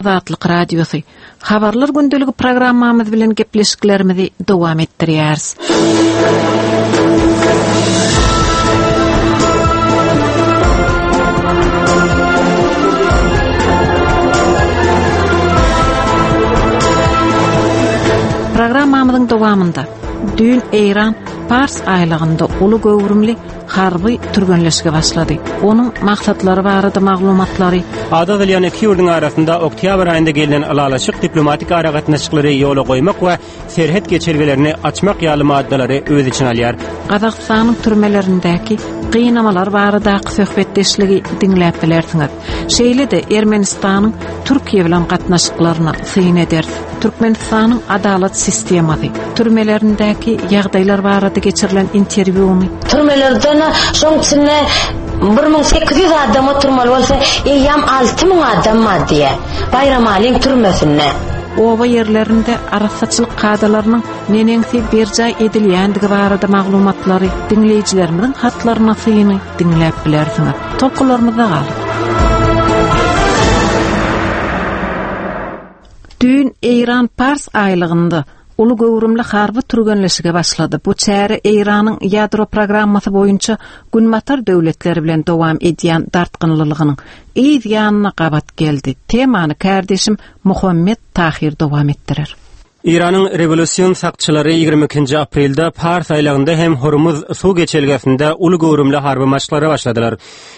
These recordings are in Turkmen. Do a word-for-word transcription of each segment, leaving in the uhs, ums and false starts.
Azatlyk Radiosy Habarlar gündeligi programmamyz bilen gepleşiklerimizi dowam etdirýäris. Programmamyzyň dowamynda düýn Eýran Pars aýlagynda uly göwrümli harby türgenleşige başlady. Onuň maksatlary barada maglumatlary Ady agzalýan iki ýurduň arasynda oktýabr aýynda gelnen ylalaşyk diplomatik aragatnaşyklary ýola goýmak we serhet geçelgelerini açmak ýaly maddalary öz içine alýar. Gazagystanyň türmelerindäki gynamalar baradaky söhbetdeşligi diňläp bilersiňiz. Şeýle-de Ermenistanyň Türkiýe bilen gatnaşyklaryna syn ederis. Türkmenistanyň adalat sistemasy, türmelerindäki ýagdaýlar barada geçirilen interwýuny Türmelerden şoň içinde bir müň sekiz ýüz adam oturmaly bolsa, eýýäm alty müň adam bar diýýär. Baýramalyň türmesinde. Oba ýerlerinde arassaçylyk kadalarynyň neneňsi berjaý edilýändigi barada maglumatlary diňleýjilerimiziň hatlaryna syny diňläp bilersiňiz. Tolkunlarymyzda galyň. Düýn Eýran Pars aýlygynda uly göwrümli harby türgenleşige başlady. Bu çäre Eýranyň ýadro programmasy boýunça Günbatar döwletleri bilen dowam edýän dartgynlylygynyň yz ýanyna gabat geldi. Temany kärdeşim Muhammet Tahir dowam etdirer. Eýranyň rewolýusion sakçylary ýigrimi ikinji aprelde Pars aýlagynda hem Hormuz suw geçelgesinde uly göwrümli harby maşklara başladylar.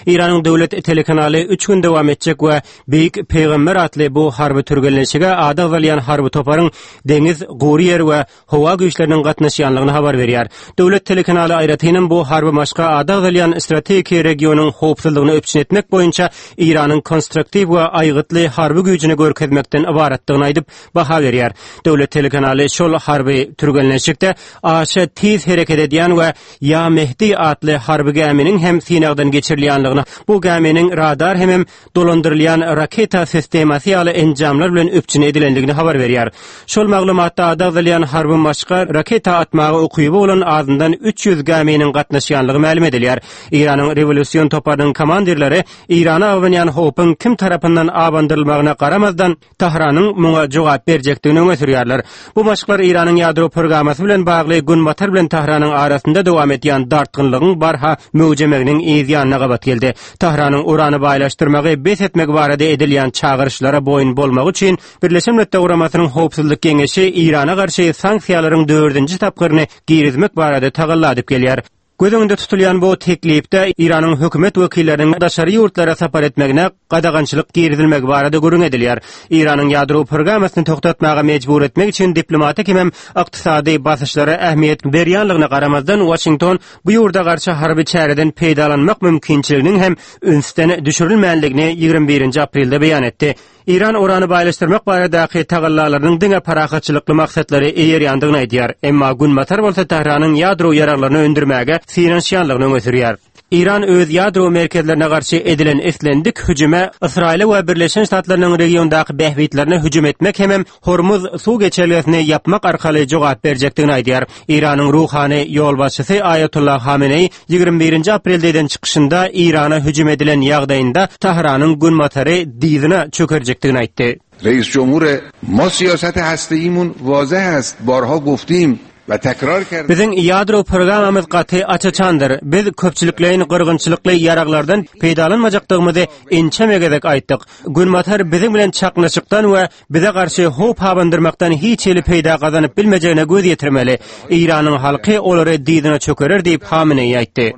Eýranyň döwlet telekanaly üç gün dowam etjek we Beýik Pygamber atly bu harby türgenleşige ady agzalýan harby toparyň deňiz, gury ýer we howa güýçleriniň gatnaşýanlygyny habar berýär. Döwlet telekanaly aýratynam bu harby maşka ady agzalýan strategiki regionyň howpsuzlygyny üpjün etmek boýunça Eýranyň konstruktiw we aýgytly harby güýjüni görkezmekden ybaratdygyny aýdyp baha berýär. Döwlet telekanaly şol harby türgenleşikde aşa tiz hereket edýän we Ýa Mehdi atly harby gäminiň hem synagdan geçirilýänligini, bu gäminiň radar hemem dolandyrylýan raketa sistemasy ýaly enjamlar bilen üpjün edilendigini habar berýär. Şol maglumatda ady agzalýan harby maşka raketa atmaga ukyby bolan azyndan üç ýüz gäminiň gatnaşýanlygy mälim edilýär. Eýranyň rewolýusion toparynyň komandirleri Eýrana abanýan howpuň kim tarapyndan abandyrylmagyna garamazdan Tahranyň muňa jogap berjekdigini öňe sürýärler. Bu maşklar Eýranyň ýadro programmasy bilen bagly Günbatar bilen Tahranyň arasynda dowam edýän dartgynlygyň barha möwjemeginiň yz ýanyna gabat geldi. Tahranyň urany baýlaşdyrmagy bes etmek barada edilýän çagyryşlara boýun bolmagy üçin Birleşen Milletler Guramasynyň Howpsuzlyk Geňeşi Eýrana garşy sanksiýalaryň dördünji tapgyryny girizmek barada tagalla edip gelýär. Göz öňünde tutulýan bu teklipde Eýranyň hökümet wekilleriniň daşary ýurtlara sapar etmegine gadagançylyk girizilmegi barada gürrüň edilýär. Eýranyň ýadro programmasyny togtatmaga mejbur etmek üçin diplomatik hem ykdysady basyşlara ähmiýet berýänligine garamazdan Washington bu ýurda garşy harby çäreden peýdalanmak mümkinçiliginiň hem ünsden düşürilmänligini ýigrimi birinji aprelde beýan etdi. Eýran urany baýlaşdyrmak baradaky tagallalarynyň diňe parahatçylykly maksatlary eýerýändigini aýdýar. Emma Günbatar bolsa Tähranyň ýadro ýaraglaryny öndürmäge synanyşýanlygyny öňe sürýär. Eýran öz ýadro merkezlerine garşy edilen islendik hüjüme Ysraýyla we Birleşen Ştatlarynyň regiondaky bähbitlerine hüjüm etmek hemem Hormuz suw geçelgesini ýapmak arkaly jogap berjekdigini aýdýar. Eýranyň ruhany ýolbaşçysy Aýatollah Hameneý ýigrimi birinji aprelde eden çykyşynda Eýrana hüjüm edilen ýagdaýynda Tahranyň Günbatary dyzyna çökerjekdigini aýtdy. Reis Cumhur ma siyasat hasteimun wazeh ast, barha goftim we tekrar kerdim. Biziň ýadro programmamyz gaty aç-açandyr. Biz köpçülikleýin gyrgynçylykly ýaraglardan peýdalanmajakdygymyzy ençeme gezek aýtdyk. Günbatar biziň bilen çaknyşykdan we bize garşy howp abandyrmakdan hiç hili peýda gazanyp bilmejegine göz ýetirmeli. Eýranyň halky olary dyzyna çökerer diýip Hameneýi aýtdy.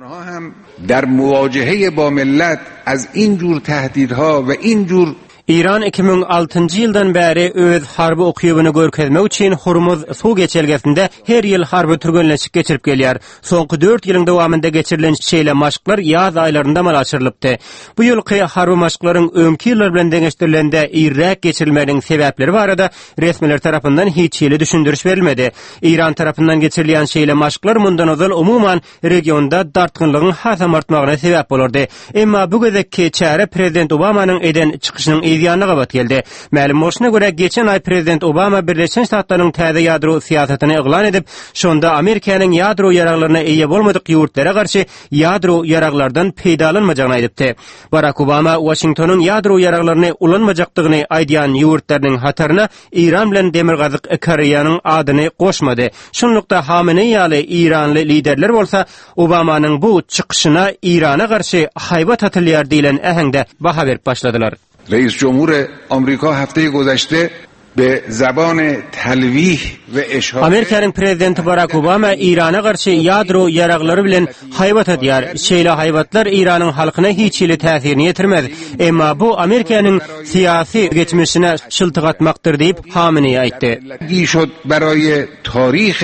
Der muwajehe ba millet az in jur tehdidha we in jur Eýran iki müň altynjy ýyldan bäri öz harby ukybyny görkezmek üçin Hormuz suw geçelgesinde her ýyl harby türgenleşik geçirip gelýär. Soňky dört ýylyň dowamynda geçirilen şeýle maşklar ýaz aýlarynda amala aşyrylypdy. Bu ýylky harby maşklaryň öňki ýyllar bilen deňeşdirilende irräk geçirilmeginiň sebäpleri barada resmiler tarapyndan hiç hili düşündiriş berilmedi. Eýran tarapyndan geçirilýän şeýle maşklar mundan ozal umuman regionda dartgynlygyň hasam artmagyna sebäp bolardy. Emma bu gezekki çäre Prezident Obamanyň eden çykyşynyň yz ýanyna gabat geldi. Mälim bolşuna görä, geçen aý Prezident Obama Birleşen Ştatlaryň täze ýadro syýasatyny yglan edip, şonda Amerikanyň ýadro ýaraglaryna eýe bolmadyk ýurtlara garşy ýadro ýaraglardan peýdalanmajagyny aýdypdy. Barack Obama Washingtonyň ýadro ýaraglaryny ulanmajakdygyny aýdýan ýurtlarynyň hataryna Iran bilen Demirgazyk Koreýanyň adyny goşmady. Şunlukda Hamenei ýaly İranly liderler bolsa Obamanyň bu çykyşyna Irana garşy haýbat atylýar diýlen äheňde baha berip başladylar. رئیس جمهور آمریکا هفته گذشته به زبان تلویح و اشاره Amerikanyň prezidenti Barack Obama Irana garşy ýadro ýaraglary bilen haýbat atýar. Şeýle haýbatlar Iranyň halkyna hiç hili täsirini ýetirmez. Emma bu Amerikanyň syýasy geçmişine şyltyk atmakdyr diýip Hamenei aýtdy. شد برای تاریخ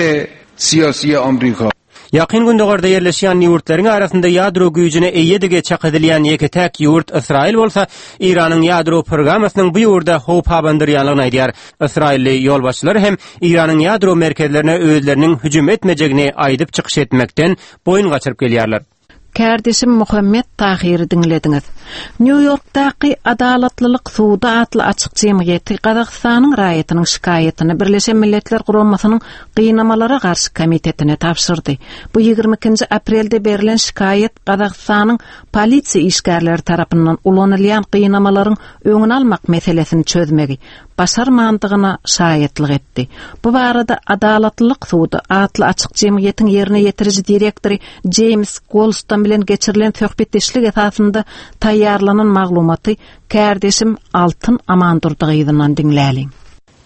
سیاسی آمریکا. Ýakyn Gündogarda ýerleşýän ýurtlaryň arasynda ýadro güýjüne eýedigi çak edilýän ýeke-täk ýurt Ysraýyl bolsa Iranyň ýadro programmasynyň bu ýurda howp abandyrýanlygyny aýdýar. Ysraýylly ýolbaşçylar hem Iranyň ýadro merkezlerine özleriniň hüjüm etmejegini aýdyp çykyş etmekden boýun gaçyryp gelýärler. Kärdeşim Muhammet Tahiri diňlediňiz. New Yorkdaky Adalatlylyk Sudy atly açyk jemgyýeti Gazagystanyň raýatynyň şikaýatyny Birleşen Milletler Guramasynyň Gynamalara garşy komitetine tabşyrdy. Bu ýigrimi ikinji aprelde berilen şikaýat Gazagystanyň polisiýa işgärleri tarapyndan ulanylýan gynamalaryň öňüni almak meselesini çözmegi başarmandygyna şaýatlyk etdi. Bu barada Adalatlylyk Sudy atly açyk jemgyýetiň ýerine ýetiriji direktory James Golston bilen geçirilen söhbetdeşlik esasynda taýýarlanan maglumaty kärdeşim Altyn Amandurdygyzyndan diňläliň.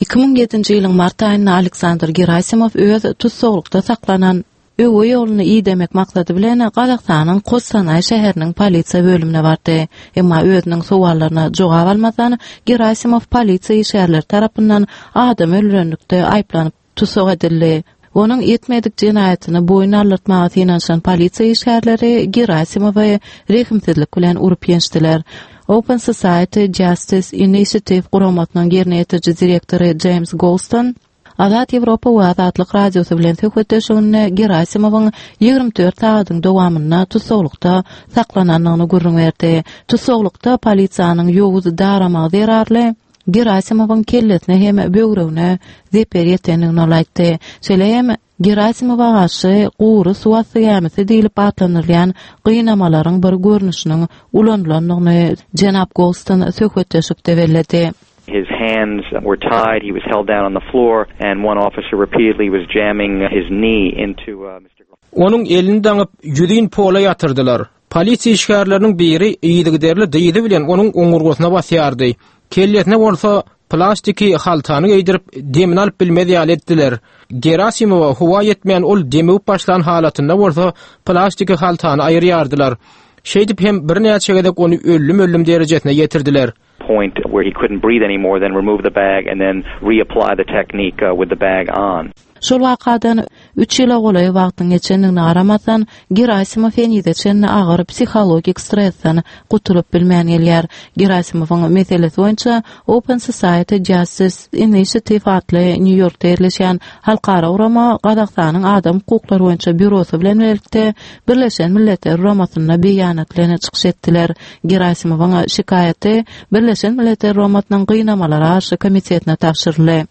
Iki müň ýedinji ýylyň mart aýynda Aleksandr Gerasimov öz tussaglykda saklanan öwe ýoluny idemek maksady bilen Gazagystanyň Kostanay şäheriniň polisiýa bölümine bardy. Emma özüniň sowallaryna jogap almadan Gerasimov polisiýa işgärleri tarapyndan adam öldürenlikde aýyplanyp tussag edildi. Onuň etmedik jenaýatyny boýun aldyrtmaga synanyşan polisiýa işgärleri Gerasimowy rehimsizlik bilen urup ýençdiler. Open Society Justice Initiative guramasynyň ýerine ýetiriji direktory James Golston Azat Ýewropa we Azatlyk Radiosy bilen söhbetdeşliginde Gerasimowyň ýigrimi dört sagatyň dowamynda tussaglykda saklanandygyny gürrüň berdi. Tussaglykda polisiýanyň ýowuz daramagy zerarly Gerasimowyň kellesine hem böwregine zeper ýetendigini ol aýtdy. Şeýle hem Gerasimowa garşy gury suw asty gämisi diýlip atlandyrylýan gynamalaryň bir görnüşiniň ulanylandygyny Jenap Golston söhbetdeşlikde belledi. His hands were tied, he was held down on the floor, and one officer repeatedly was jamming his knee into, uh, Mister Onuň elini daňyp ýüzin pola ýatyrdylar. Polisiýa işgärleriniň biri yzygiderli dyzy bilen onuň oňurgasyna basýardy. Kellesine bolsa plastiki haltany geýdirip demini alyp bilmez ýaly etdiler. Gerasimowa howa ýetmeýän ol demewip başlan halatynda bolsa plastiki haltany aýyrýardylar. Şeýdip hem birnäçe gezek ony öllüm-öllüm derejesine ýetirdiler. Point where he couldn't breathe anymore, then remove the bag and then reapply the technique, uh, with the bag on. Şol wakadan üç ýyla golaý wagtyň geçendigine garamazdan Gerasimov henize çenli agyr psihologik stresden gutulyp bilmän gelýär. Gerasimowyň meselesi boýunça Open Society Justice Initiative atly New Yorkda ýerleşýän halkara gurama Gazagystanyň adam hukuklary boýunça býurosy bilen birlikde Birleşen Milletler Guramasynda beýanat bilen çykyş etdiler. Gerasimowyň şikaýaty Birleşen Milletler Guramasynyň gynamalara garşy komitetine tabşyryldy.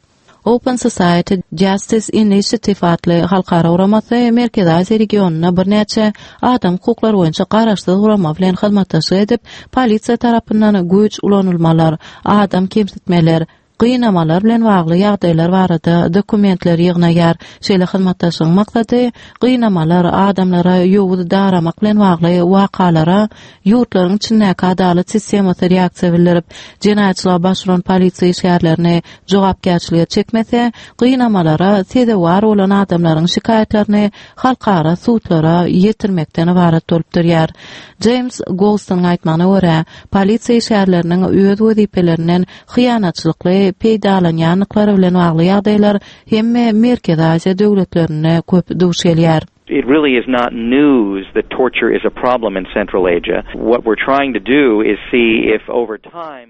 Open Society Justice Initiative atly halkara guramasy Merkezi Aziýa regionynda birnäçe adam hukuklary boýunça garaşsyz gurama bilen hyzmatdaşlyk edip, polisiýa tarapyndan güýç ulanylmalar, adam kemsitmeler, gynamalar bilen bagly ýagdaýlar barada dokumentler ýygnaýar. Şeýle hyzmatdaşlygyň maksady gynamalar, adamlara ýowuz daramak bilen bagly wakalara ýurtlaryň içindäki adalat sistemasy reaksiýa bildirip, jenaýatçylyga baş uran polisiýa işgärlerini jogapkärçilige çekmese, gynamalara sezewar bolan adamlaryň şikaýatlaryny halkara sudlara ýetirmekden ibarat bolup durýar. James Golston'yň aýtmagyna görä, polisiýa işgärleriniň öz wezipelerinden hyýanatçylykly peýdalanýanlyklary bilen bagly ýagdaýlar hemme Merkezi Aziýa döwletlerinde köp duş gelýär. It really is not news that torture is a problem in Central Asia. What we're trying to do is see if over time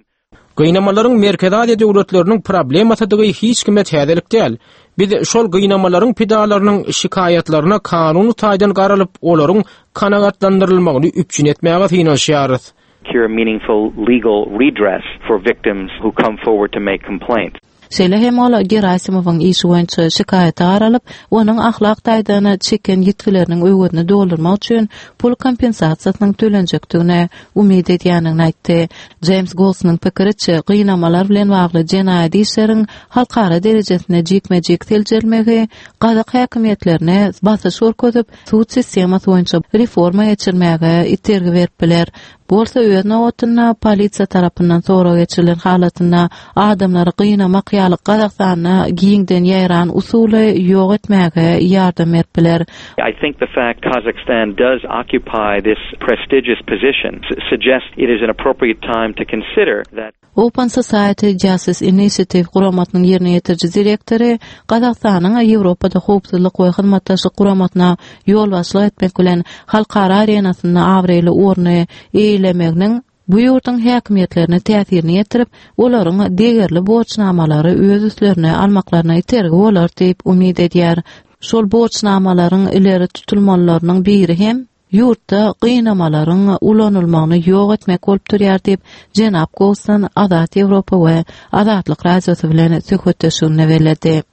Gynamalaryň Merkezi Aziýa döwletleriniň problemasydygy hiç kime täzelik däl. Biz şol gynamalaryň pidalarynyň şikaýatlaryna kanuny taýdan garalyp, olaryň kanagatlandyrylmagyny üpjün etmäge synanyşýarys. Secure meaningful legal redress for victims who come forward to make complaints. Şeýle hem ol Gerasimowyň işi boýunça şikaýata garalyp, onuň ahlak taýdan çeken ýitgileriniň öwezini doldurmak üçin pul kompensasiýasynyň tölenjekdigine umyt edýänini aýtdy. James Goldsonyň pikiriçe, gynamalar bilen bagly jenaýat işleriň halkara derejesinde jikme-jik seljerilmegi gazak häkimiýetlerine basyş görkezip, sud sistemasy boýunça reforma geçirmäge itergi berip biler. Bolsa öz nobatynda polisiýa tarapyndan sorag geçirilen halatynda adamlary gynamak ýaly Gazagystanda giňden ýaýran usuly ýok etmäge ýardam berip biler. I think the fact Kazakhstan does occupy this prestigious position suggests it is an appropriate time to consider that Open Society Justice Initiative guramasynyň ýerine ýetiriji direktory Gazagystanyň Ýewropada howpsuzlyk we hyzmatdaşlyk guramasyna ýolbaşçylyk etmek bilen halkara arenasynda abraýly orny eýelemeginiň bu ýurduň häkimiýetlerine täsirini ýetirip, olaryň degerli borçnamalary öz üstlerine almaklaryna itergi bolar diýip umyt edýär. Şol borçnamalaryň ileri tutulmalylarynyň biri hem ýurtda gynamalaryň ulanylmagyny ýok etmek bolup durýar diýip, Jenap Goldston Azat Ýewropa we Azatlyk Radiosy bilen söhbetdeşliginde belledi.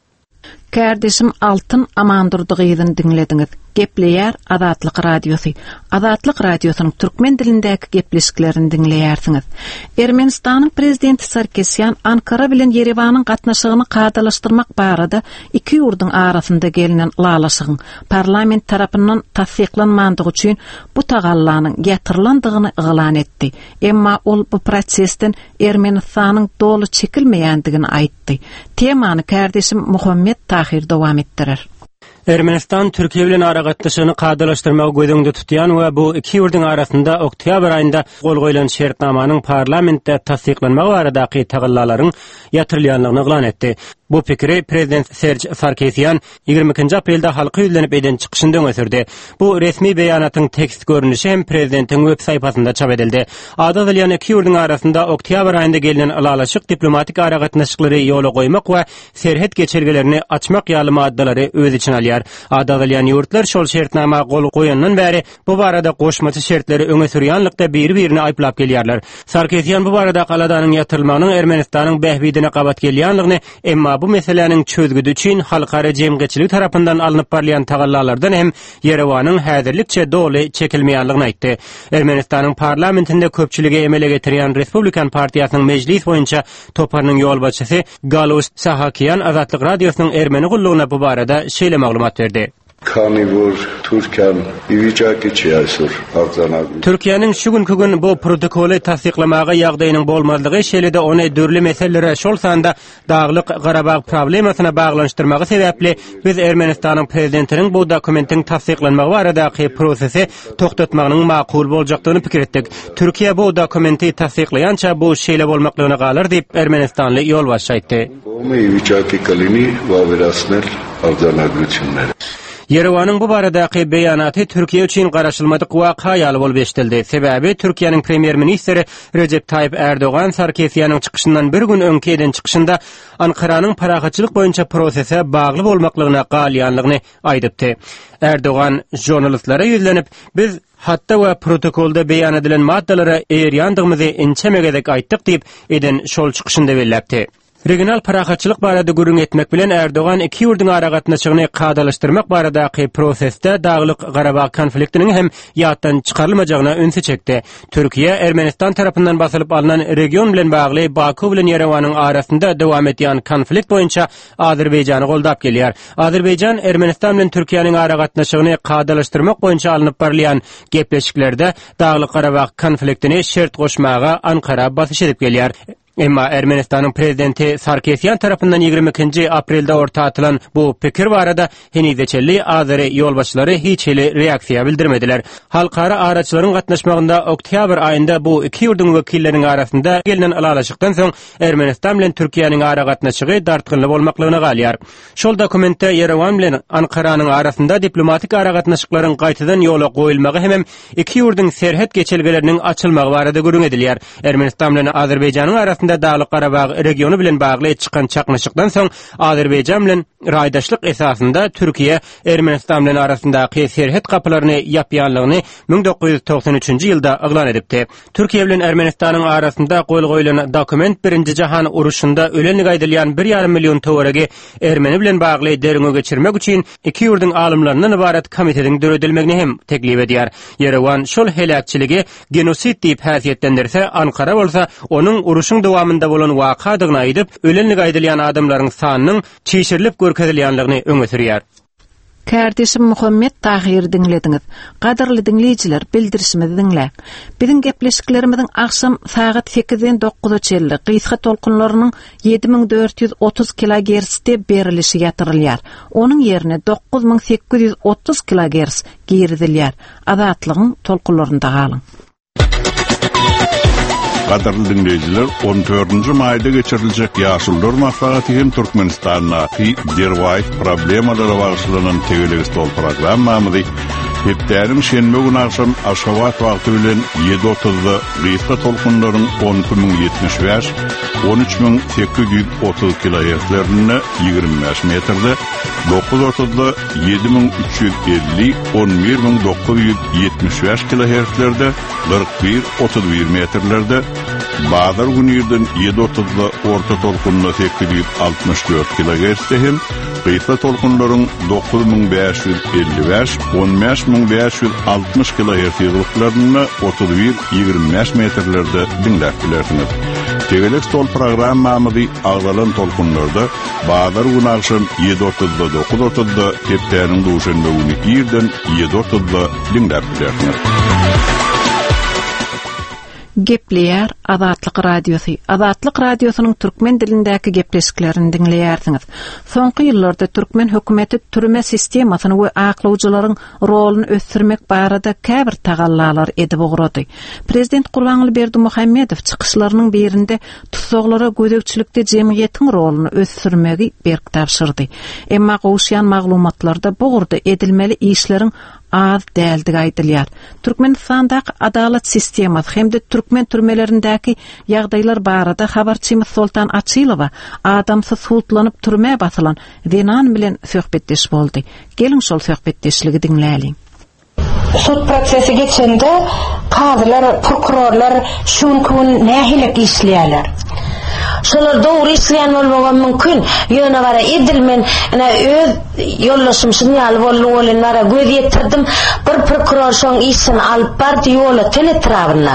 Kärdeşim Altyn Amandurdy gyzyny diňlediňiz. Gepleýär Azatlyk Radiosy. Azatlyk Radiosynyň türkmen dilindäki gepleşiklerini diňleýärsiňiz. Ermenistanyň prezidenti Sarkisýan Ankara bilen Ýerewanyň gatnaşygyny kadalaşdyrmak barada iki ýurduň arasynda gelinen ylalaşygyň parlament tarapyndan tassyklanmandygy üçin bu tagallanyň ýatyrylandygyny yglan etdi. Emma ol bu prosesden Ermenistanyň doly çekilmeýändigini aýtdy. Temany kärdeşim Muhammet Tahir dowam etdirer. Ermenistan Türkiýe bilen aragatnaşygyny kadalaşdyrmagy göz öňünde tutýan we bu iki ýurduň arasynda oktýabr aýynda gol goýlan şertnamanyň parlamentde tassyklanmagy baradaky tagallalaryň ýatyrylýandygyny yglan etdi. Bu pikiri prezident Serj Sarkisýan ýigrimi ikinji aprelde halka ýüzlenip eden çykyşynda öňe sürdi. Bu resmi beýanatyň tekst görnüşi hem prezidentiň web saýpasynda çap edildi. Ady agzalýan iki ýurduň arasynda oktýabr aýynda gelinen ylalaşyk diplomatik aragatnaşyklary ýola goýmak we serhet geçelgelerini açmak ýaly maddalary öz içine alýar. Ady agzalýan ýurtlar şol şertnama gol goýandan bäri bu barada goşmaça şertleri öňe sürýänlikde biri-birini aýyplap gelýärler. Sarkisýan bu barada aladanyň ýatyrylmagynyň Ermenistanyň bähbidine gabat gelýändigini, emma bu meseläniň çözgüdi üçin halkara jemgyýetçiligi tarapyndan alnyp barylýan tagallalardan hem Ýerewanyň häzirlikçe doly çekilmeýändigini aýtdy. Ermenistanyň parlamentinde köpçüligi emele getirýän Respublikan partiýasynyň mejlis boýunça toparynyň ýolbaşçysy Galus Sahakýan Azatlyk Radiosynyň ermeni gullugyna bu barada şeýle maglumat berdi. Քանի որ Թուրքիան ի վիճակի չի այսօր արձանագրել Türkiýäniň şu günki gün bu protokoly tassyklamaga ýagdaýynyň bolmazlygy şeýle-de ony dürli meselelere şol sanda Daglyk Garabag problemasyna baglanyşdyrmagy sebäpli biz Ermenistanyň prezidentiniň bu dokumentiň tassyklanmagy baradaky prosesi togtatmagynyň makul boljakdygyny pikir etdik. Türkiýe bu dokumenti tassyklaýança bu şeýle bolmaklygyna galar diýip Ermenistanly ýolbaşçy aýtdy. Կողմը ի վիճակի կլինի վավերացնել արձանագրությունները։ Ýerewanyň bu baradaky beýanaty Türkiýe üçin garaşylmadyk waka ýaly bolup eşidildi. Sebäbi Türkiýäniň premýer-ministri Recep Tayyip Erdogan Sarkisýanyň çykyşyndan bir gün öňki eden çykyşynda Ankaranyň parahatçylyk boýunça prosese bagly bolmaklygyna galýanlygyny aýdypdy. Erdogan jurnalistlere ýüzlenip, biz hatda we protokolda beýan edilen maddalara eýerýändygymyzy inçe gezek aýtdyk diýip eden şol çykyşynda belläpdi. Regional parahatçylyk barada gürrüň etmek bilen Erdogan iki ýurduň aragatnaşygyny kadalaşdyrmak baradaky prosesde Daglyk Garabag konfliktiniň hem ýatdan çykarylmajagyna ünsi çekdi. Türkiýe Ermenistan tarapyndan basylyp alnan region bilen bagly Baku bilen Ýerewanyň arasynda dowam edýän konflikt boýunça Azerbaýjany goldap gelýär. Azerbaýjan Ermenistan bilen Türkiýäniň aragatnaşygyny kadalaşdyrmak boýunça alnyp barylýan gepleşiklerde Daglyk Garabag konfliktini şert goşmaga Ankara basyş edip gelýär. Emma Ermenistanyň prezidenti Sarkisýan tarapyndan ýigrimi ikinji aprelde orta atylan bu pikir barada henize çenli Azeri ýolbaşçylary hiç hili reaksiýa bildirmediler. Halkara araçylaryň gatnaşmagynda oktýabr aýynda bu iki ýurduň wekilleriniň arasynda gelinen ylalaşykdan soň Ermenistan bilen Türkiýäniň aragatnaşygy dartgynly bolmaklygyna galýar. Şol dokumentde Ýerewan bilen Ankaranyň arasynda diplomatik aragatnaşyklaryň gaýtadan ýola goýulmagy hem iki ýurduň serhet geçelgeleriniň açylmagy barada gürrüň edilýär. Ermenistan bilen Azerbaýjanyň arasynda ýylynda Daglyk-Garabag regiony bilen bagly çykan çaknyşykdan soň Azerbaýjan bilen raýdaşlyk esasynda Türkiýe Ermenistan bilen arasyndaky serhet gapylaryny ýapýanlygyny müň dokuz ýüz togsan üçünji ýylda yglan edipdi. Türkiýe bilen Ermenistanyň arasynda gol goýlan dokument Birinji Jahan uruşynda ölenligi aýdylýan bir ýarym million töweregi Ermeni bilen bagly derňew geçirmek üçin iki ýurduň alymlaryndan ybarat komitetiň döredilmegini hem teklip edýär. Ýerewan şol heläkçiligi genosid diýip häsiýetlendirse, Ankara bolsa onuň uruşyň dowamynda bolan wakadygyny aýdyp, ölenligi aýdylýan adamlaryň sanynyň çişirilip görkezilýänligini öňe sürýär. Kardeşim Muhammet Tahir diňlediňiz. Gadyrly diňleýjiler, bildirişimizi diňläň. Biziň gepleşiklerimiziň akşam sagat sekizden dokuza çenli gysga tolkunlarynyň ýedi müň dört ýüz otuz kilogertzde berilişi ýatyrylýar. Onuň ýerine dokuz müň sekiz ýüz otuz kilogertz girizilýär. Azatlygyň tolkunlarynda galyň. Gadyrly dinleýjiler, on dördünji maýda geçiriljek Ýaşullar maslahaty hem Türkmenistandaky derwaýys problemalara bagyşlanan tegelek stol programmamyzy hepdäniň şenbe güni akşam Aşgabat wagty bilen ýedi otuzda gysga tolkunlaryň on iki müň ýetmiş bäş, on üç müň sekiz ýüz otuz kilohertzlerinde ýigrimi bäş metrde, dokuz otuzda ýedi müň üç ýüz elli, on bir müň dokuz ýüz ýetmiş bäş kilohertzlerde, kyrk bir, otuz bir metrlerde, bazar günü ýerden ýedi otuzda orta tolkunda sekiz ýüz altmyş dört kilohertzde hem gysga tolkunlaryň dokuz müň bäş ýüz elli bäş, on bäş müň bäş ýüz altmyş kilohertz ýygylyklarynda otuz bir, ýigrimi bäş metrlerde diňläp bilersiňiz. Tegelek stol programmamyzy agzalan tolkunlarda bazar günü akşam ýedi otuzda dokuz otuzda hepdäniň duşenbe günü irden ýedi otuzda diňläp bilersiňiz. Gepleýär Azatlyk Radiosy. Azatlyk Radiosynyň türkmen dilindäki gepleşiklerini diňleýärsiňiz. Soňky ýyllarda türkmen hökümeti türme sistemasyny we aklawjylaryň roluny ösdürmek barada käbir tagallalar edip ugrady. Prezident Gurbanguly Berdimuhamedow çykyşlarynyň birinde tussaglara gözegçilikde jemgyýetiň roluny ösdürmegi berk tabşyrdy. Emma gowuşýan maglumatlarda bu ugurda edilmeli işleriň az däldigi aýdylýar. Türkmenistandaky adalat sistemasy hem-de türkmen türmelerindäki ýagdaýlar barada habarçymyz Soltan Açylowa adamsy sutlanyp türmä basylan zenan bilen söhbetdeş boldy. Geliň şol söhbetdeşligi diňläliň. Sud prosesi geçende kazylar, prokurorlar şun kun nähili işleýärler? Şolar dogry işleýän bolmagy mümkin. Ýöne bara edilmen, ene öz ýollaşym şun ýaly boldy bolyn bara göz ýetirdim. Bir prokuror şoň işini alyp bardy ýola tel etrabynda.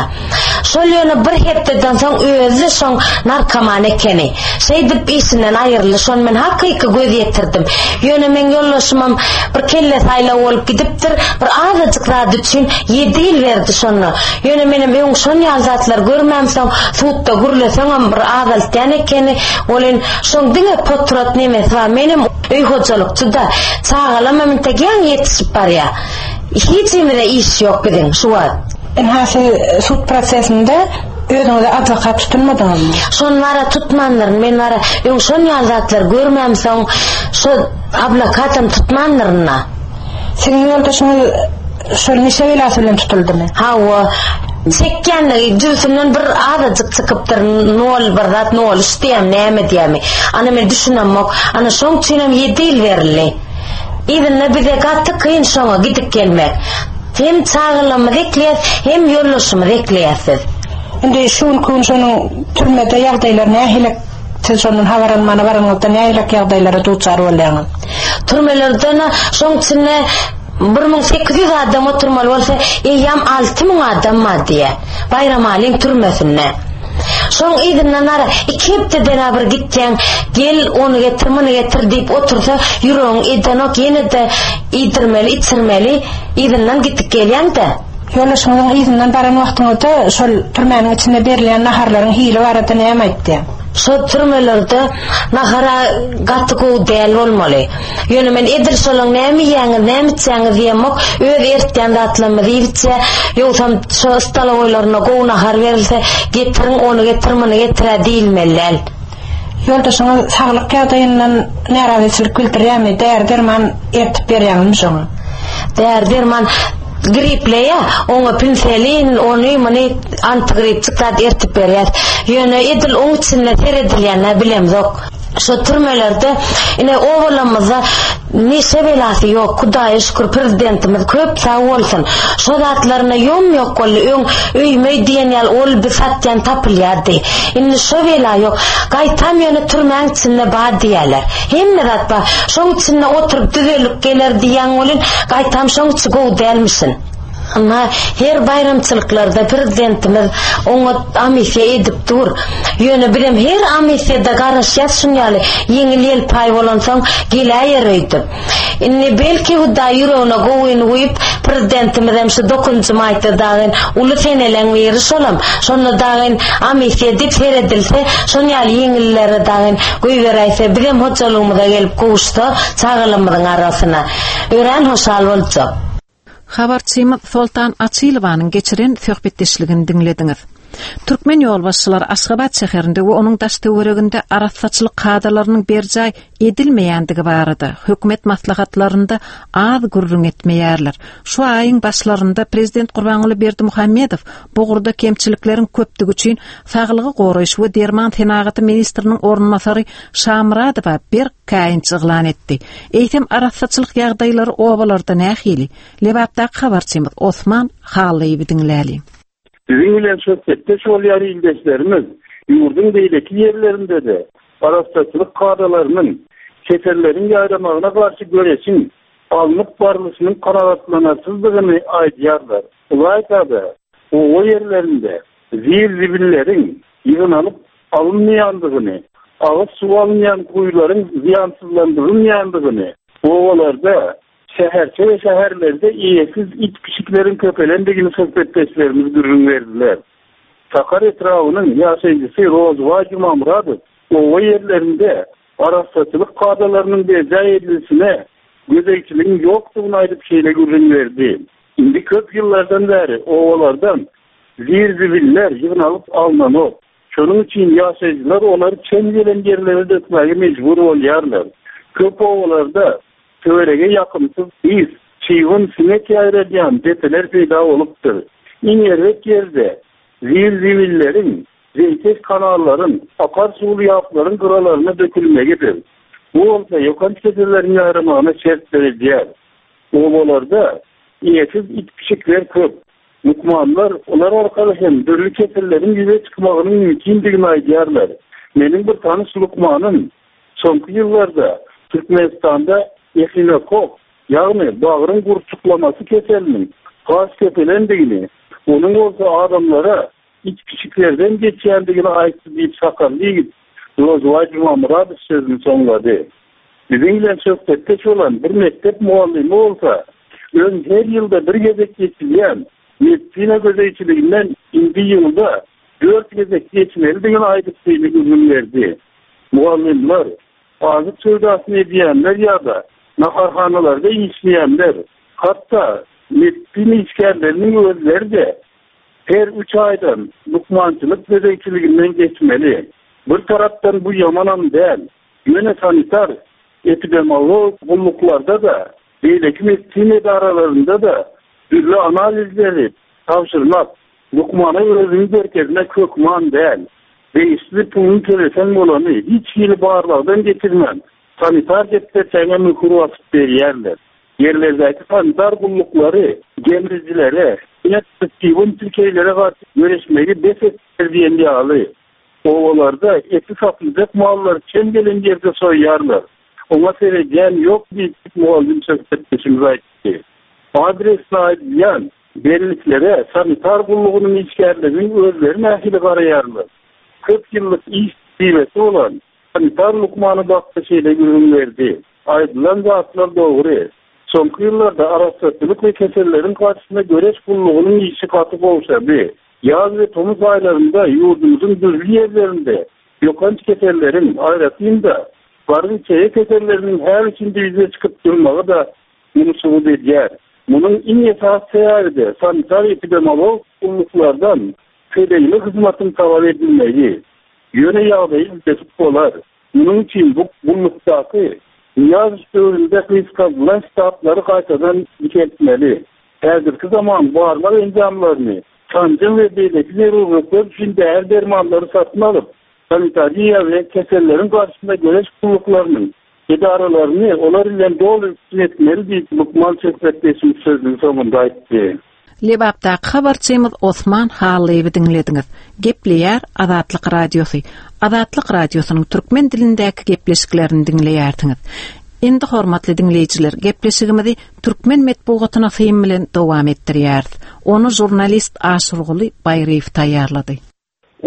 Şol ýöne bir hepdeden soň özü şoň narkoman ekeni. Şeýdip işinden aýryldy. Şon men hakyky göz ýetirdim. Ýöne men ýollaşymam bir kelle saýlaw bolup gidipdir. Bir azajyk zat üçin ýedi ýyl berdi şonda. Ýöne menem öň şon ýaly zatlar görmäm soň sudda gürleseňem bir azaltýan ekeni. Olin şoň diňe potrat nemesi bar. Menem öý hojalykçy da çagalam integän ýetişip barýar. Hiç ýerde iş ýok biziň şu wagt. Enhası sud prosesinde özüňize advokat tutulmadyňyzmy? Şon bara tutmandyryn. Men bara öň şon ýaly zatlar görmäm soň şo advokatam tutmandyryn. Siziň ýoldaşyňyz şol neşe belasy bilen tutuldymy? Hawa. Çekýänligi jübüsinden bir azajyk çykypdyr, nol bir zat, nol üç diýem, näme diýemi. Ana men düşünemok. Ana şoň üçin hem ýedi ýyl berildi. Yzynda bize gaty kyn şoňa gidip gelmek. Hem çagalarymyzy ekleýäs, hem ýoldaşymyzy ekleýäs. Indi şu gün şonuň türmede ýagdaýlar nähili? Siz şondan habar almana baranyňyzda nähili ýagdaýlara duçar bolýaňyz? Türmelerden şoň içinde bir müň sekiz ýüz adam oturmaly bolsa, eýýäm alty müň adam bar diýe. Baýramalyň türmesinde. Şoň yzyndan ara iki hepdeden bir gitýän, gel ony getir, muny getir diýip otursa, ýüregiň edenok, ýene-de iýdirmeli, içirmeli, yzyndan gitip gelýän-de. Ýoldaşyňyzyň yzyndan baran wagtyňyzda şol türmäniň içinde berilýän naharlaryň hili barada näme aýtdy? Şol türmelerde nahara gaty gowy däl bolmaly. Ýöne men edil şolaň näme iýýäňiz, näme içýäňiz diýemok, öz ertýän zatlarymyzy iýip içýä. Ýogsam şo stolowoýlaryna gowy nahar berilse, getiriň ony getir, muny getir diýilmeli däl. Ýoldaşyňyz saglyk ýagdaýyndan närazyçylyk bildirýärmi? Däri derman ertip berýäňizmi şoňa? Däri derman Gripleýä, oňa penicillin, ony muny antigripçik zat ertip berýär. Ýöne edil oň içinde seredilýänler bilemzok. Şu türmelerde ine owalamyzda neşe belasy ýok. Hudaýa şükür prezidentimiz köp sag bolsun. Şu zatlaryna ýom ýok boldy. Öň öýme diýen ýaly ol bir satýan tapylýardy. Indi şu bela ýok. Gaýtam ýöne türmäň içinde bar diýerler. Hemme zat bar. Şoň içinde oturyp düzelip geler diýen bolun, gaýtam şoň içi gowy dälmişin. Ama her bayramçylyklarda prezidentimiz oňa amisiýa edip dur. Ýöne bilem her amisiýada garaşýas şun ýaly ýeňil ýelpaý bolansoň geläýer öýdüp. Indi belki Hudaý ýüregine gowyny guýup prezidentimiz hem şu dokuzynjy maýda dagyn uly seneleň biri şolam. Şonda dagyn amisiýa edip seredilse, şon ýaly ýeňillere dagyn goýberäýse, bizem hojalygymyza gelip gowuşsa, çagalarymyzyň arasyna örän hoşal boljak. Habarçymyz Soltan Açylowanyň geçiren söhbetdeşligini diňlediňiz. Türkmen ýolbaşçylary Aşgabat şäherinde we onuň daş töwereginde arassaçylyk kadalarynyň berjaý edilmeýändigi barada hökümet maslahatlarynda az gürrüň etmeýärler. Şu aýyň başlarynda Prezident Gurbanguly Berdimuhamedow bu ugurda kemçilikleriň köpdügi üçin saglygy goraýyş we derman senagaty ministriniň orunbasary Şamyradowa bir käýinç yglan etdi. Eýsem arassaçylyk ýagdaýlary obalarda nähili? Lebapdaky habarçymyz Osman Hallyýewi diňläli. Biziň bilen söhbetdeş bolýan ildeşlerimiz ýurduň beýleki ýerlerinde-de arassaçylyk kadalarynyň keselleriň ýaýramagyna garşy göreşiň alnyp barlyşynyň kanagatlanarsyzdygyny aýdýarlar. Ylaýta-da oba ýerlerinde zir-zibilleriň ýygnalyp alynmaýandygyny, agyz suw alynýan guýularyň zyýansyzlandyrylmaýandygyny, obalarda, şäherçe we şäherlerde eýesiz it pişikleriň köpelendigini söhbetdeşlerimiz gürrüň berdiler. Sakar etrabynyň ýaşaýjysy Rozbaý Jumamyradow oba ýerlerinde arassaçylyk kadalarynyň berjaý edilişine gözegçiligiň ýokdugyny aýdyp şeýle gürrüň berdi. Indi köp ýyllardan bäri obalardan zir-zibiller ýygnalyp alnanok. Şonuň üçin ýaşaýjylar olary çen gelen ýerlere dökmäge mejbur bolýarlar. Köp obalarda töwerege ýakymsyz ys, çybyn, siňek ýaýradýan depeler peýda bolupdyr. Iň erbet ýerde zir-zibilleriň, zeýkeş kanallaryň, akar suwly ýaplaryň gyralaryna dökülmegidir. Bu bolsa ýokanç keselleriň ýaýramagyna şert döredýär. Obalarda eýesiz it pişikler köp. Lukmanlar olar arkaly hem dürli keselleriň ýüze çykmagynyň mümkindigini aýdýarlar. Meniň bir tanyş lukmanym soňky ýyllarda Türkmenistanda ehinokok, ýagny bagryň gurçuklamasy keseliniň has köpelendigini, onuň bolsa adamlara it pişiklerden geçýändigini aýtdy diýip sakarly ýigit Rozbaý Jumamyradow sözüni soňlady. Biziň bilen söhbetdeş bolan bir mekdep mugallymy bolsa, öň her ýylda bir gezek geçilýän medisina gözegçiliginden indi ýylda dört gezek geçmelidigini aýdyp şeýle gürrüň berdi. Mugallymlar, azyk söwdasyny edýänler ýa-da naharhanalarda işleýänler, hatda medisina işgärleriniň özleri-de her üç aýdan lukmançylyk gözegçiliginden geçmeli. Bir tarapdan bu ýamanam däl. Ýöne sanitar epidemiolog gulluklarda da, beýleki medisina edaralarynda da dürli analizleri tabşyrmak, lukmana özüni görkezmek hökman däl. Degişli puluny tölesen bolany hiç hili barlagdan geçirmän sanitar depderçäňe möhür basyp berýärler. Ýerlerdäki sanitar gulluklary gemrijilere, çybyn çirkeýlere garşy göreşmegi bes etdiler diýen ýaly. Obalarda eti satyljak mallary çen gelen ýerde soýýarlar. Oňa seredýän ýok diýip mugallym söhbetdeşimiz aýtdy. Adresini aýdýan belliklere sanitar gullugynyň işgärleriniň özleri nähili garaýarlar? Köp ýyllyk iş tejribesi bolan sanitar lukmany bakda şeýle gürrüň berdi. Aýdylan zatlar dogry. Soňky ýyllarda arassaçylyk we keselleriň garşysyna göreş gullugynyň işi gaty gowşady. Ýaz we tomus aýlarynda ýurdumyzyň dürli ýerlerinde ýokanç keselleriň, aýratyn-da garyn çeýe keselleriniň her üçünji ýüze çykyp durmagy da muny subut edýär. Munuň iň esasy sebäbi-de sanitar epidemiolog gulluklardan tölegli hyzmatyň talap edilmegi. Ýöne ýagdaýy üýtgetip bolar. Munuň üçin bu gullukdaky Nyýazow döwründe gysgaldylan ştatlary gaýtadan dikeltmeli. Häzirki zaman barlag enjamlaryny, sanjym we beýleki zerurlyklar üçin däri dermanlary satyn alyp, sanitariýa we keselleriň garşysynda göreş gulluklarynyň edaralaryny olar bilen doly üpjün etmeli diýip lukman söhbetdeşimiz sözüniň soňunda aýtdy. Lebapdaky habarçymyz Osman Hallyýewi diňlediňiz. Gepleýär Azatlyk Radiosy. Azatlyk Radiosynyň türkmen dilindäki gepleşiklerini diňleýärsiňiz. Indi hormatly diňleýjiler, gepleşigimizi türkmen metbugatyna syn bilen dowam etdirýäris. Ony žurnalist Aşyrguly Baýryýew taýýarlady.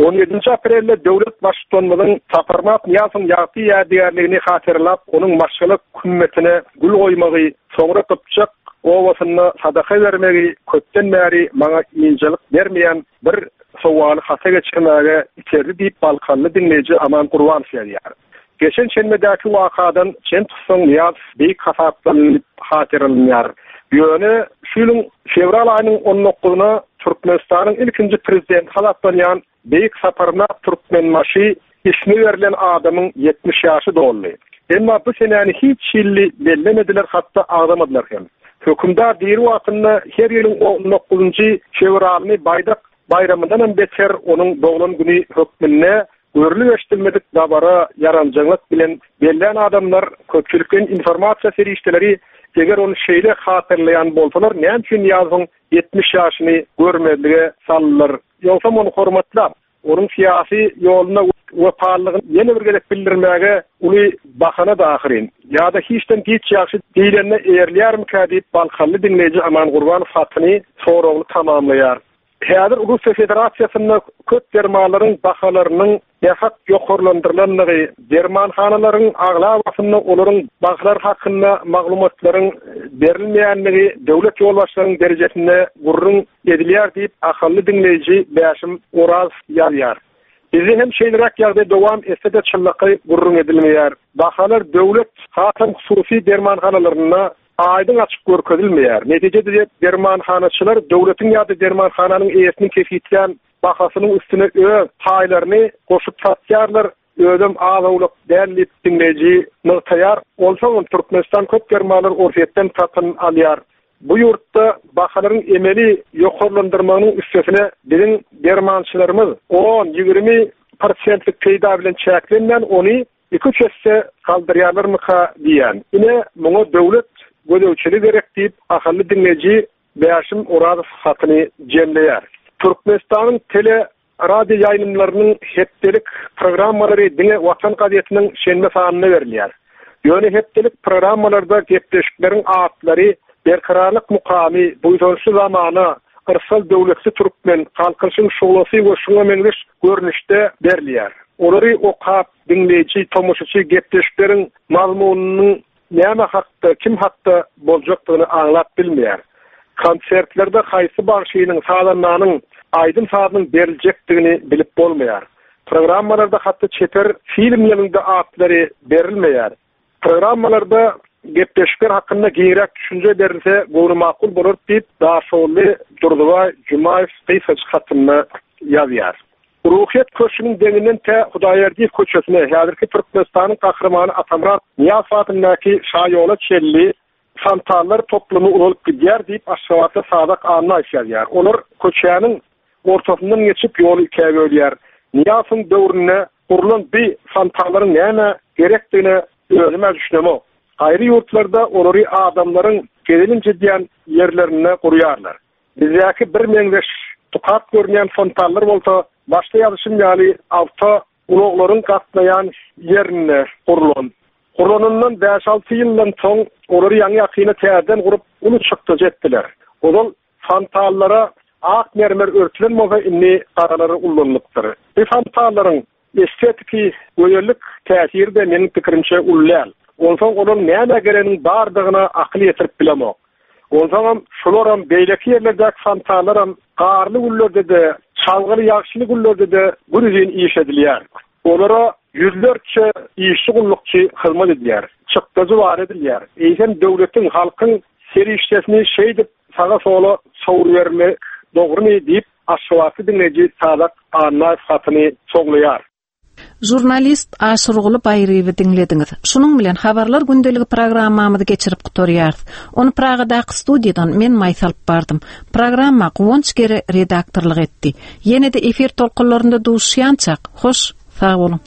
On ýedinji aprelde döwlet baştutanymyzyň Saparmyrat Nyýazowyň ýagty ýadygärligini hatyralap, onuň maşgala kümmetine gül goýmagy, soňra Gypjak obasynda sadaka bermegi köpden bäri maňa ynjalyk bermeýän bir sowaly hata geçirmäge iterdi diýip Balkanly diňleýji Aman Gurbanow ýazýar. Geçen şenbedäki wakadan çen tutsaň Nyýazow beýik hasaplanyp hatyralanyar. Ýöne şu ýylyň fewral aýynyň on dokuzyna Türkmenistanyň ilkinji prezidenti hasaplanýan Beýik Saparmyrat Türkmenbaşy ismi berlen adamyň ýetmiş ýaşy doldy. Emma bu senäni hiç ýylly bellemediler, hatda agzamadylar hem. Hökümdar diri wagtynda her ýylyň on dokuzunjy fewralyny baýdak baýramyndan hem beter onuň doglan güni hökmünde görülip eşidilmedik dabara ýaranjaňlyk bilen bellän adamlar köpçülikleýin informasiýa serişdeleri eger ony şeýle hatyrlaýan bolsalar, näme üçin Nyýazowyň ýetmiş ýaşyny görmezlige saldylar? Ýogsam ony hormatlap, onuň syýasy ýoluna wepalylygyny ýene bir gezek bildirmäge uly bahana da ahyryn. Ýa-da hiçden giç ýagşy diýlenine eýerlýärmikä diýip Balkanly diňleýji Aman Gurbanow hatyny soragly tamamlaýar. Häzir Russiýa Federasiýasynda köp dermanlaryň bahalarynyň nähak ýokarlandyrylandygy, dermanhanalaryň aglabasynda olaryň bahalar hakynda maglumatlaryň berilmeýändigi döwlet ýolbaşçylarynyň derejesinde gürrüň edilýär diýip ahally diňleýji Bäşim Oraz ýazýar. Bizde hem şeýleräk ýagdaý dowam etse-de çynlakaý gürrüň edilmeýär. Bahalar döwlet, hasam hususy dermanhanalarynda aýdyň açyk görkezilmeýär. Netijede dermanhanaçylar döwletiň ýa-da dermanhananyň eýesiniň kesgitlän bahasynyň üstüne öz paýlaryny goşup satýarlar. Özüm az-owlak däl diýip diňleýji nygtaýar. Onsoň Türkmenistan köp dermanlar Orsýetden satyn alýar. Bu ýurtda bahalaryň emeli ýokarlandyrmagynyň üstesine biziň dermançylarymyz on, ýigrimi prosentlik peýda bilen çäklenmän ony iki üç esse galdyrýarlarmyka diýen. Ine muňa döwlet gözegçiligi gerek diýip ahally diňleýji Bäşim Orazow hatyny jemleýär. Türkmenistanyň tele radio ýaýlymlarynyň hepdelik programmalary diňe Watan gazetiniň şenbe sanyna berilýär. Ýöne hepdelik programmalarda gepleşikleriň atlary Berkararlyk mukamy, buýsançly zamana, Yrsal döwletli türkmen, halkyň şuglasy we şuňa meňzeş görnüşde berilýär. Olary okap, diňleýji, tomaşaçy gepleşikleriň mazmunynyň näme hakda, kim hakda boljakdygyny aňlap bilmeýär. Konsertlerde haýsy bagşynyň, sazandanyň aýdym sazynyň beriljekdigini bilip bolmaýar. Programmalarda hatda çeper filmlerinde atlary berilmeýär. Programmalarda gepleşikler hakynda giňräk düşünje berilse göwni makul bolar diýip Daşoguzly Durdybaý Jumaýew gysgaçyk hatynda ýazýar. Ruhyýet köşgüniň deňinden tä Hudaýberdiýew köçesine häzirki Türkmenistanyň gahrymany Atamyrat Nyýazow adyndaky şaýola çenli fontanlar toplumy uzalyp gidýär diýip Aşgabatda Sadak Annaýew ýazýar. Olar köçäniň ortasyndan geçip ýoly ikä bölýär. Nyýazowyň döwründe gurlan bir fontanlaryň näme gerekdigine özüme düşünemok. Gaýry ýurtlarda olary adamlaryň gezelenç edýän ýerlerinde gurýarlar. Bizdäki bir meňzeş tukat görünýän fontanlar bolsa başda ýazyşym ýaly awto ulaglaryň gatnaýan ýerinde gurlan. Gurlanyndan bäş-alty ýyldan soň olary ýaňy ýakyna täzeden gurup uly çykdajy etdiler. Ozal fontanlara ak mermer örtülen bolsa indi garalary ulanylypdyr. Bu fontanlaryň estetiki gözellik täsiri de meniň pikirimçe uly däl. Onsoň olaryň näme gereniň bardygyna akyl ýetirip bilemok. Onsoňam şularam beýleki ýerlerdäki fontanlaram garly günlerde-de, çalgyly ýagşyly günlerde-de günüzin iş edilýär. Olara ýüzlerçe işçi gullukçy hyzmat edýär. Çykdajy bar edilýär. Eýsem döwletiň, halkyň serişdesini şeýdip saga sola sowurbermek dogrumy diýip Aşgabatly diňleýji Sadak Annaýew hatyny soglaýar. Žurnalist Aşyrguly Baýryýewi diňlediňiz. Şunuň bilen habarlar gündeligi programmamyzy geçirip gutarýarys. Ony Pragadaky studiýadan men Maýsa alyp bardym. Programma Guwanç Gere redaktorlyk etdi. Ýene-de efir tolkunlarynda duşýançak, hoş, sag boluň.